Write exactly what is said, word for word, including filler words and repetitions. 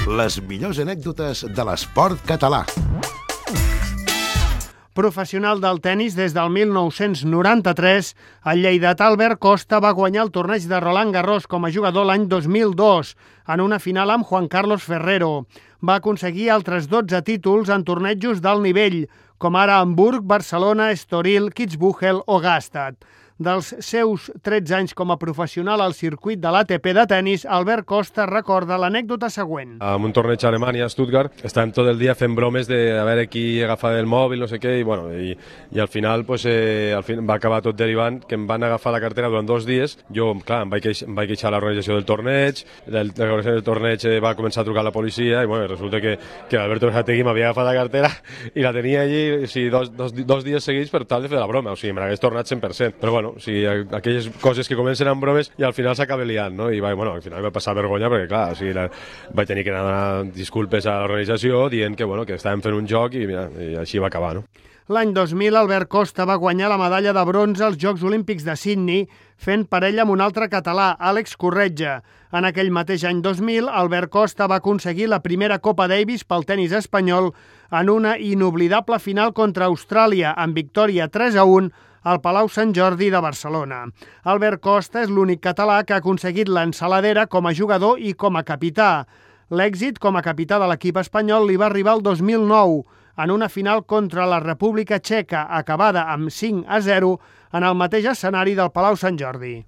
Les millors anècdotes de l'esport català. Professional del tennis des del mil nou-cents noranta-tres, el lleidatà Albert Costa va guanyar el torneig de Roland Garros com a jugador l'any dos mil dos, en una final amb Juan Carlos Ferrero. Va aconseguir altres dotze títols en tornejos d'alt nivell, com ara Hamburg, Barcelona, Estoril, Kitzbühel o Gstaad. Dels seus tretze anys com a professional al circuit de l'A T P de tennis, Albert Costa recorda l'anècdota següent. En un torneig a Alemanya, a Stuttgart, estàvem tot el dia fent bromes de a veure qui agafava el mòbil, no sé què, i, bueno, i, i al final, pues, eh, al fin, va acabar tot derivant que em van agafar la cartera durant dos dies. Jo, clar, em vaig, queix, em vaig queixar a l'organització del torneig, l'organització del torneig eh, va començar a trucar a la policia, i bueno, resulta que, que Alberto Berategui m'havia agafat la cartera i la tenia allí o sigui, dos, dos, dos dies seguits per tal de fer la broma, o sigui, me l'hagués tornat cent per cent. Però bueno, o sigui, aquelles coses que comencen amb bromes i al final s'acaba liant, no? I va, bueno, al final va passar vergonya perquè, clar, o sigui, la, vaig tenir que anar a donar disculpes a l'organització dient que, bueno, que estàvem fent un joc i, mira, i així va acabar, no? L'any dos mil, Albert Costa va guanyar la medalla de bronze als Jocs Olímpics de Sydney, fent parella amb un altre català, Àlex Corretja. En aquell mateix any dos mil, Albert Costa va aconseguir la primera Copa Davis pel tennis espanyol en una inoblidable final contra Austràlia, amb victòria tres a un al Palau Sant Jordi de Barcelona. Albert Costa és l'únic català que ha aconseguit l'ensaladera com a jugador i com a capità. L'èxit com a capità de l'equip espanyol li va arribar el dos mil nou, en una final contra la República Txeca, acabada amb cinc a zero en el mateix escenari del Palau Sant Jordi.